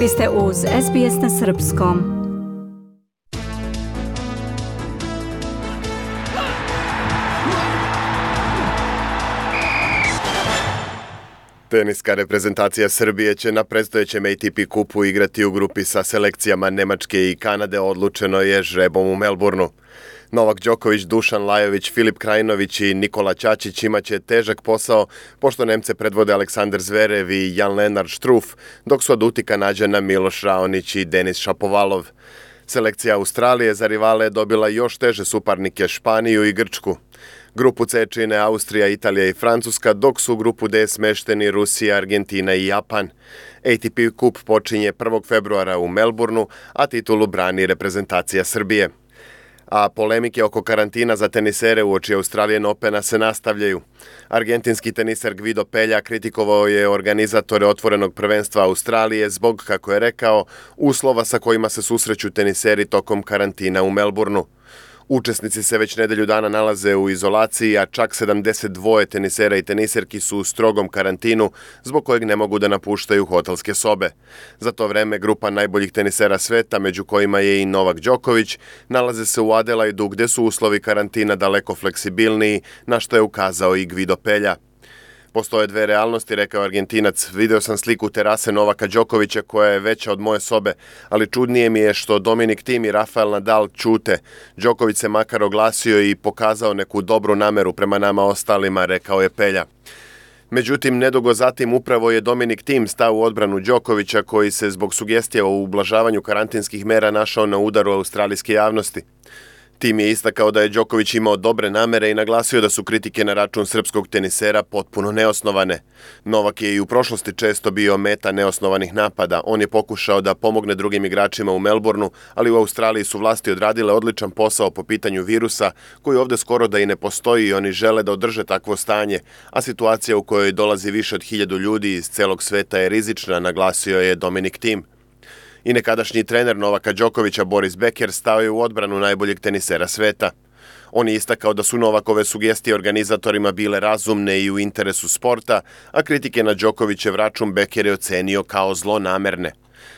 Vi ste uz SBS na Srpskom. Teniska reprezentacija Srbije će na predstojećem ATP kupu igrati u grupi sa selekcijama Nemačke i Kanade, odlučeno je žrebom u Melbourneu. Novak Đoković, Dušan Lajović, Filip Krajinović i Nikola Ćaćić imaće težak posao, pošto Nemce predvode Aleksandar Zverev i Jan-Lennard Struff, dok su od uti Kanađana Miloš Raonić i Denis Šapovalov. Selekcija Australije za rivale je dobila još teže suparnike Španiju i Grčku. Grupu C čine Austrija, Italija i Francuska, dok su u grupu D smešteni Rusija, Argentina i Japan. ATP kup počinje 1. februara u Melbourneu, a titulu brani reprezentacija Srbije. A polemike oko karantina za tenisere uoči Australian Opena se nastavljaju. Argentinski teniser Gvido Pelja kritikovao je organizatore otvorenog prvenstva Australije zbog, kako je rekao, uslova sa kojima se susreću teniseri tokom karantina u Melbourneu. Učesnici se već nedelju dana nalaze u izolaciji, a čak 72 tenisera i teniserki su u strogom karantinu, zbog kojeg ne mogu da napuštaju hotelske sobe. Za to vreme grupa najboljih tenisera sveta, među kojima je i Novak Đoković, nalaze se u Adelaidu gde su uslovi karantina daleko fleksibilniji, na što je ukazao i Gvido Pelja. Postoje dve realnosti, rekao Argentinac. Video sam sliku terase Novaka Đokovića koja je veća od moje sobe, ali čudnije mi je što Dominik Thiem i Rafael Nadal ćute. Đoković se makar oglasio i pokazao neku dobru nameru prema nama ostalima, rekao je Pelja. Međutim, nedugo zatim upravo je Dominik Thiem stao u odbranu Đokovića, koji se zbog sugestija o ublažavanju karantinskih mera našao na udaru australijske javnosti. Thiem je istakao da je Đoković imao dobre namere i naglasio da su kritike na račun srpskog tenisera potpuno neosnovane. Novak je i u prošlosti često bio meta neosnovanih napada. On je pokušao da pomogne drugim igračima u Melbourneu, ali u Australiji su vlasti odradile odličan posao po pitanju virusa, koji ovde skoro da i ne postoji i oni žele da održe takvo stanje, a situacija u kojoj dolazi više od 1000 ljudi iz celog sveta je rizična, naglasio je Dominik Thiem. I nekadašnji trener Novaka Đokovića Boris Becker stao je u odbranu najboljeg tenisera sveta. On je istakao da su Novakove sugestije organizatorima bile razumne i u interesu sporta, a kritike na Đokovićev račun Becker je ocenio kao zlonamerne.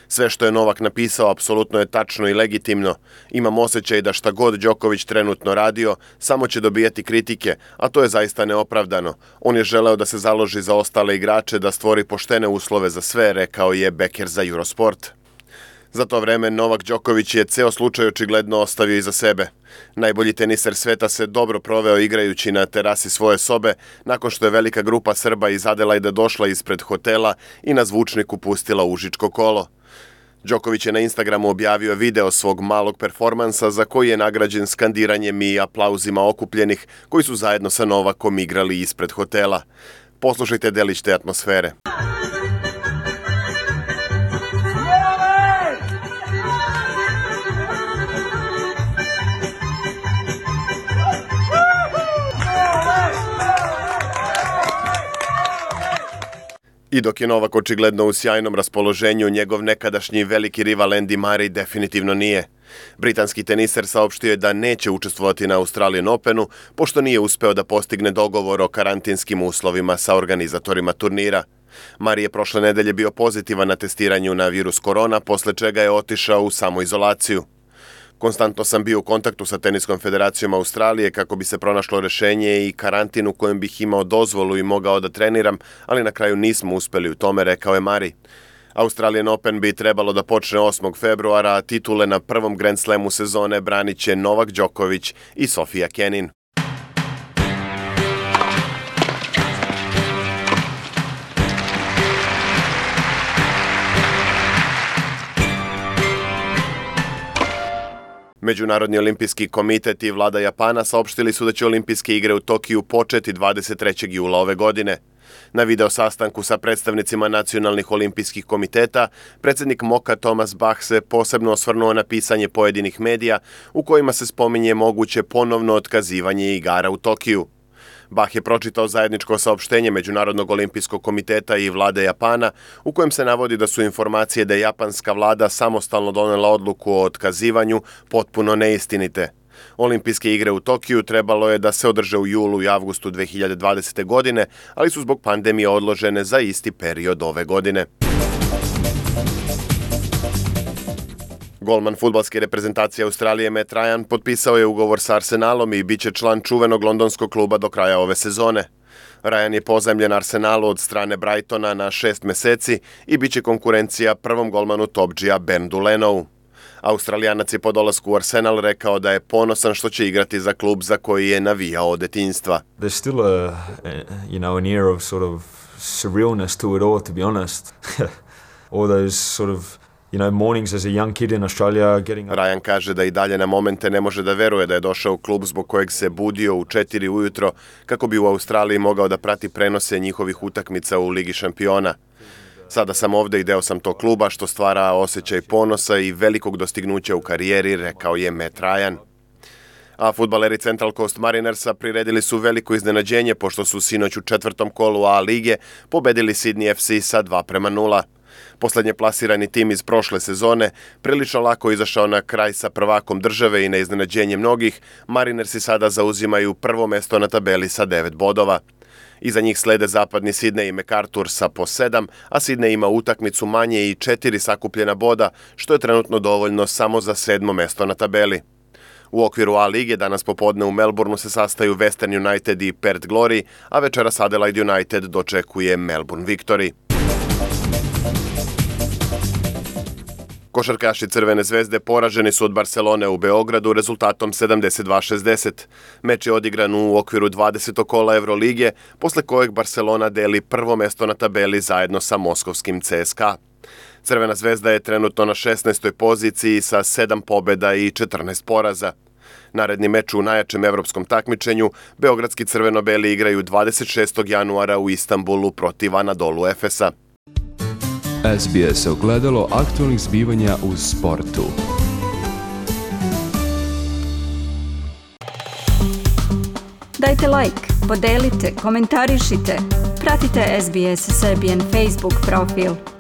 Sve što je Novak napisao apsolutno je tačno i legitimno. Imam osjećaj da šta god Đoković trenutno radio, samo će dobijati kritike, a to je zaista neopravdano. On je želeo da se založi za ostale igrače, da stvori poštene uslove za sve, rekao je Becker za Eurosport. Za to vreme Novak Đoković je ceo slučaj očigledno ostavio iza sebe. Najbolji teniser sveta se dobro proveo igrajući na terasi svoje sobe, nakon što je velika grupa Srba iz Adelaida došla ispred hotela i na zvučniku pustila užičko kolo. Đoković je na Instagramu objavio video svog malog performansa za koji je nagrađen skandiranjem i aplauzima okupljenih koji su zajedno sa Novakom igrali ispred hotela. Poslušajte delić te atmosfere. I dok je Novak očigledno u sjajnom raspoloženju, njegov nekadašnji veliki rival Andy Murray definitivno nije. Britanski teniser saopštio je da neće učestvovati na Australian Openu, pošto nije uspeo da postigne dogovor o karantinskim uslovima sa organizatorima turnira. Murray je prošle nedelje bio pozitivan na testiranju na virus korona, posle čega je otišao u samoizolaciju. Konstantno sam bio u kontaktu sa Teniskom federacijom Australije kako bi se pronašlo rešenje i karantin u kojem bih imao dozvolu i mogao da treniram, ali na kraju nismo uspeli u tome, rekao je Murray. Australian Open bi trebalo da počne 8. februara, a titule na prvom Grand Slamu sezone branit će Novak Đoković i Sofia Kenin. Međunarodni olimpijski komitet i vlada Japana saopštili su da će olimpijske igre u Tokiju početi 23. jula ove godine. Na video sastanku sa predstavnicima nacionalnih olimpijskih komiteta, predsjednik MOKA Thomas Bach se posebno osvrnuo na pisanje pojedinih medija u kojima se spominje moguće ponovno otkazivanje igara u Tokiju. Bach je pročitao zajedničko saopštenje Međunarodnog olimpijskog komiteta i vlade Japana u kojem se navodi da su informacije da je japanska vlada samostalno donela odluku o otkazivanju potpuno neistinite. Olimpijske igre u Tokiju trebalo je da se održe u julu i avgustu 2020. godine, ali su zbog pandemije odložene za isti period ove godine. Golman fudbalske reprezentacije Australije Matt Ryan potpisao je ugovor sa Arsenalom i bit će član čuvenog londonskog kluba do kraja ove sezone. Ryan je pozajmljen Arsenalu od strane Brightona na 6 meseci i bit će konkurencija prvom golmanu Topđija Bernardu Lenovu. Australijanac je po dolasku u Arsenal rekao da je ponosan što će igrati za klub za koji je navijao od detinjstva. There's still an air of sort of surrealness to it all, to be honest. All those sort of mornings as a young kid in Australia getting up. Ryan kaže da i dalje na momente ne može da veruje da je došao u klub zbog kojeg se budio u 4 ujutro kako bi u Australiji mogao da prati prenose njihovih utakmica u Ligi šampiona. Sada sam ovde i deo sam tog kluba što stvara osjećaj ponosa i velikog dostignuća u karijeri, rekao je Matt Ryan. A fudbaleri Central Coast Marinersa priredili su veliko iznenađenje pošto su sinoć u 4. kolu A lige pobedili Sydney FC sa 2-0. Poslednje plasirani tim iz prošle sezone prilično lako izašao na kraj sa prvakom države i na iznenađenje mnogih, Marinersi sada zauzimaju prvo mesto na tabeli sa 9 bodova. Iza njih slede zapadni Sydney i MacArthur sa po 7, a Sydney ima utakmicu manje i 4 sakupljena boda, što je trenutno dovoljno samo za 7. mesto na tabeli. U okviru A lige danas popodne u Melbourneu se sastaju Western United i Perth Glory, a večeras Adelaide United dočekuje Melbourne Victory. Košarkaši Crvene zvezde poraženi su od Barcelone u Beogradu rezultatom 72-60. Meč je odigran u okviru 20. kola Evrolige, posle kojeg Barcelona deli prvo mesto na tabeli zajedno sa moskovskim CSKA. Crvena zvezda je trenutno na 16. poziciji sa 7 pobeda i 14 poraza. Naredni meč u najjačem evropskom takmičenju, beogradski crveno-beli igraju 26. januara u Istanbulu protiv Anadolu Efesa. SBS ogledalo aktualnih zbivanja u sportu. Dajte like, podelite, komentarišite. Pratite SBS Serbian Facebook profil.